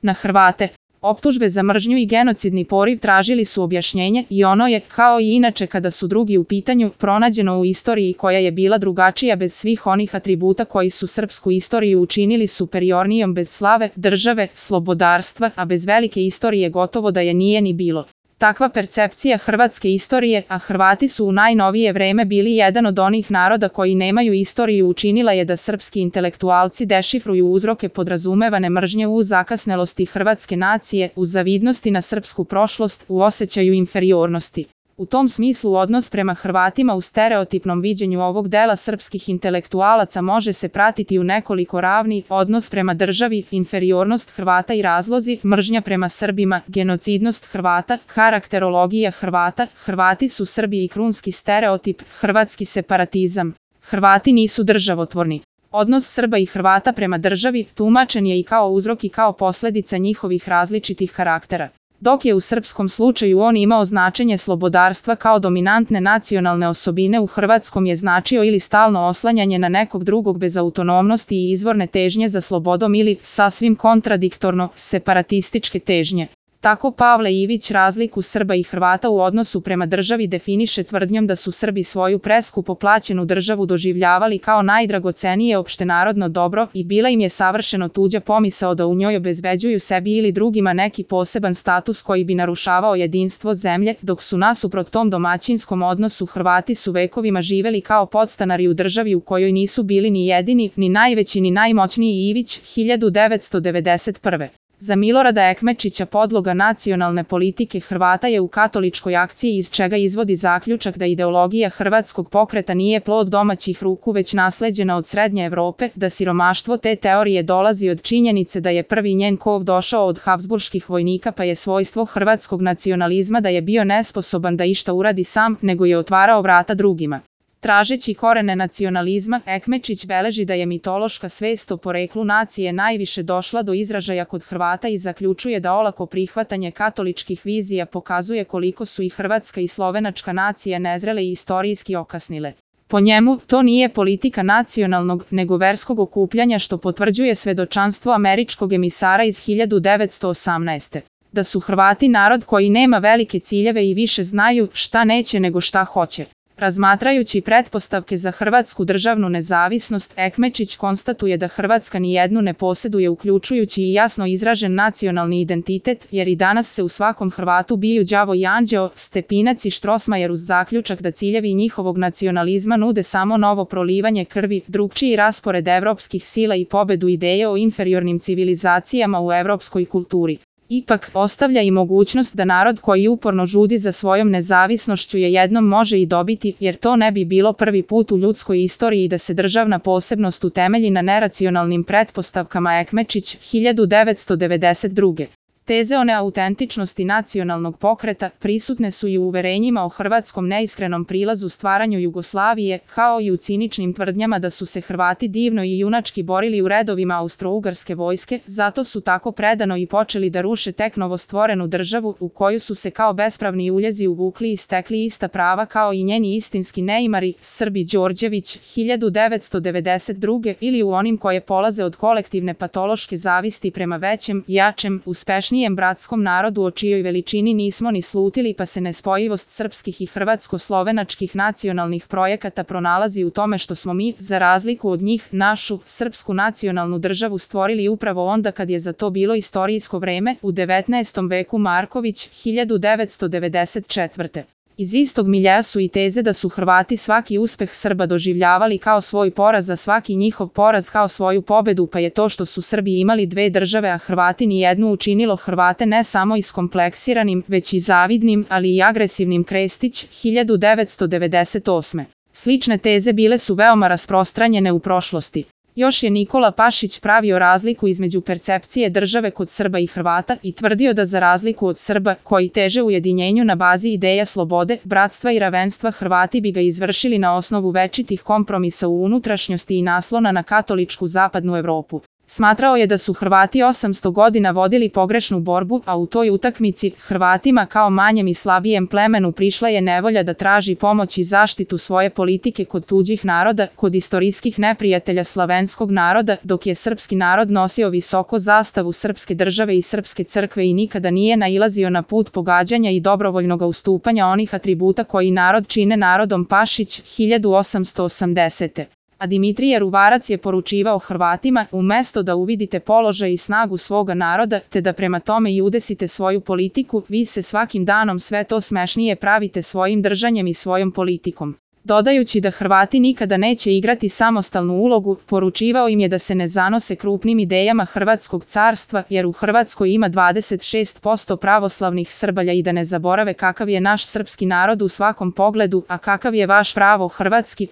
na Hrvate. Optužbe za mržnju i genocidni poriv tražili su objašnjenje i ono je, kao i inače kada su drugi u pitanju, pronađeno u istoriji koja je bila drugačija bez svih onih atributa koji su srpsku istoriju učinili superiornijom, bez slave, države, slobodarstva, a bez velike istorije gotovo da je nije ni bilo. Takva percepcija hrvatske istorije, a Hrvati su u najnovije vreme bili jedan od onih naroda koji nemaju istoriju, učinila je da srpski intelektualci dešifruju uzroke podrazumevane mržnje u zakasnelosti hrvatske nacije, u zavidnosti na srpsku prošlost, u osjećaju inferiornosti. U tom smislu odnos prema Hrvatima u stereotipnom viđenju ovog dela srpskih intelektualaca može se pratiti u nekoliko ravni: odnos prema državi, inferiornost Hrvata i razlozi, mržnja prema Srbima, genocidnost Hrvata, karakterologija Hrvata, Hrvati su Srbi i krunski stereotip, hrvatski separatizam. Hrvati nisu državotvorni. Odnos Srba i Hrvata prema državi tumačen je i kao uzrok i kao posljedica njihovih različitih karaktera. Dok je u srpskom slučaju on imao značenje slobodarstva kao dominantne nacionalne osobine, u hrvatskom je značio ili stalno oslanjanje na nekog drugog bez autonomnosti i izvorne težnje za slobodom ili, sasvim kontradiktorno, separatističke težnje. Tako Pavle Ivić razliku Srba i Hrvata u odnosu prema državi definiše tvrdnjom da su Srbi svoju preskupo plaćenu državu doživljavali kao najdragocenije opštenarodno dobro i bila im je savršeno tuđa pomisao da u njoj obezbeđuju sebi ili drugima neki poseban status koji bi narušavao jedinstvo zemlje, dok su nasuprot tom domaćinskom odnosu Hrvati su vekovima živeli kao podstanari u državi u kojoj nisu bili ni jedini, ni najveći, ni najmoćniji. Ivić, 1991. Za Milorada Ekmečića podloga nacionalne politike Hrvata je u katoličkoj akciji, iz čega izvodi zaključak da ideologija hrvatskog pokreta nije plod domaćih ruku već nasleđena od Srednje Evrope, da siromaštvo te teorije dolazi od činjenice da je prvi njen kov došao od habsburških vojnika, pa je svojstvo hrvatskog nacionalizma da je bio nesposoban da išta uradi sam, nego je otvarao vrata drugima. Tražeći korene nacionalizma, Ekmečić beleži da je mitološka svest o poreklu nacije najviše došla do izražaja kod Hrvata i zaključuje da olako prihvatanje katoličkih vizija pokazuje koliko su i hrvatska i slovenačka nacija nezrele i istorijski okasnile. Po njemu, to nije politika nacionalnog, nego verskog okupljanja, što potvrđuje svedočanstvo američkog emisara iz 1918. Da su Hrvati narod koji nema velike ciljeve i više znaju šta neće nego šta hoće. Razmatrajući pretpostavke za hrvatsku državnu nezavisnost, Ekmečić konstatuje da Hrvatska nijednu ne posjeduje, uključujući i jasno izražen nacionalni identitet, jer i danas se u svakom Hrvatu biju đavo i anđeo, Stepinac i Štrosmajer, uz zaključak da ciljevi njihovog nacionalizma nude samo novo prolivanje krvi, drugčiji raspored evropskih sila i pobedu ideje o inferiornim civilizacijama u evropskoj kulturi. Ipak, ostavlja i mogućnost da narod koji uporno žudi za svojom nezavisnošću je jednom može i dobiti, jer to ne bi bilo prvi put u ljudskoj istoriji da se državna posebnost utemelji na neracionalnim pretpostavkama. Ekmečić, 1992. Teze o neautentičnosti nacionalnog pokreta prisutne su i u uverenjima o hrvatskom neiskrenom prilazu stvaranju Jugoslavije, kao i u ciničnim tvrdnjama da su se Hrvati divno i junački borili u redovima Austro-Ugarske vojske, zato su tako predano i počeli da ruše tek novostvorenu državu, u koju su se kao bespravni uljezi uvukli i stekli ista prava kao i njeni istinski neimari, Srbi. Đorđević, 1992. Ili u onim koje polaze od kolektivne patološke zavisti prema većem, jačem, uspešnijem bratskom narodu o čijoj veličini nismo ni slutili, pa se nespojivost srpskih i hrvatsko-slovenačkih nacionalnih projekata pronalazi u tome što smo mi, za razliku od njih, našu, srpsku nacionalnu državu stvorili upravo onda kad je za to bilo istorijsko vreme, u 19. veku. Marković, 1994. Iz istog miljea su i teze da su Hrvati svaki uspeh Srba doživljavali kao svoj poraz, a svaki njihov poraz kao svoju pobedu, pa je to što su Srbi imali dve države a Hrvati nijednu učinilo Hrvate ne samo iskompleksiranim, već i zavidnim, ali i agresivnim. Krestić, 1998. Slične teze bile su veoma rasprostranjene u prošlosti. Još je Nikola Pašić pravio razliku između percepcije države kod Srba i Hrvata i tvrdio da za razliku od Srba, koji teže ujedinjenju na bazi ideja slobode, bratstva i ravenstva, Hrvati bi ga izvršili na osnovu večitih kompromisa u unutrašnjosti i naslona na katoličku zapadnu Evropu. Smatrao je da su Hrvati 800 godina vodili pogrešnu borbu, a u toj utakmici Hrvatima kao manjem i slabijem plemenu prišla je nevolja da traži pomoć i zaštitu svoje politike kod tuđih naroda, kod istorijskih neprijatelja slavenskog naroda, dok je srpski narod nosio visoko zastavu srpske države i srpske crkve i nikada nije nailazio na put pogađanja i dobrovoljnog ustupanja onih atributa koji narod čine narodom. Pašić, 1880. A Dimitrije Ruvarac je poručivao Hrvatima, umesto da uvidite položaj i snagu svoga naroda, te da prema tome i udesite svoju politiku, vi se svakim danom sve to smešnije pravite svojim držanjem i svojom politikom. Dodajući da Hrvati nikada neće igrati samostalnu ulogu, poručivao im je da se ne zanose krupnim idejama Hrvatskog carstva, jer u Hrvatskoj ima 26% pravoslavnih Srbalja i da ne zaborave kakav je naš srpski narod u svakom pogledu, a kakav je vaš pravo hrvatski,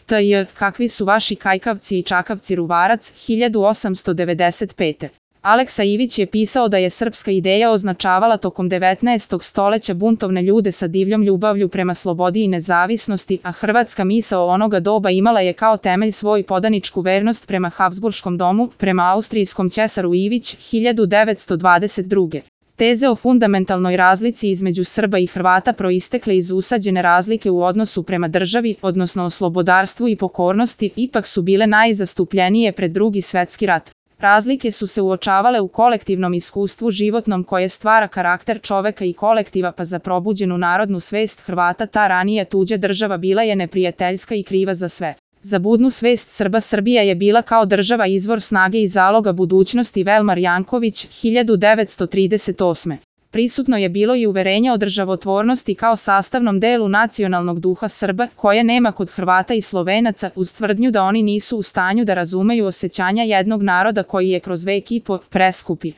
kakvi su vaši kajkavci i čakavci. Ruvarac, 1895. Aleksa Ivić je pisao da je srpska ideja označavala tokom 19. stoleća buntovne ljude sa divljom ljubavlju prema slobodi i nezavisnosti, a hrvatska misao onoga doba imala je kao temelj svoj podaničku vernost prema Habsburškom domu, prema austrijskom ćesaru. Ivić, 1922. Teze o fundamentalnoj razlici između Srba i Hrvata proistekle iz usađene razlike u odnosu prema državi, odnosno o slobodarstvu i pokornosti, ipak su bile najzastupljenije pred Drugi svetski rat. Razlike su se uočavale u kolektivnom iskustvu životnom koje stvara karakter čoveka i kolektiva, pa za probuđenu narodnu svest Hrvata ta ranije tuđa država bila je neprijateljska i kriva za sve. Za budnu svest Srba Srbija je bila kao država izvor snage i zaloga budućnosti. Velmar Janković, 1938. Prisutno je bilo i uverenje o državotvornosti kao sastavnom delu nacionalnog duha Srba, koje nema kod Hrvata i Slovenaca, uz tvrdnju da oni nisu u stanju da razumeju osjećanja jednog naroda koji je kroz vek i po preskupi.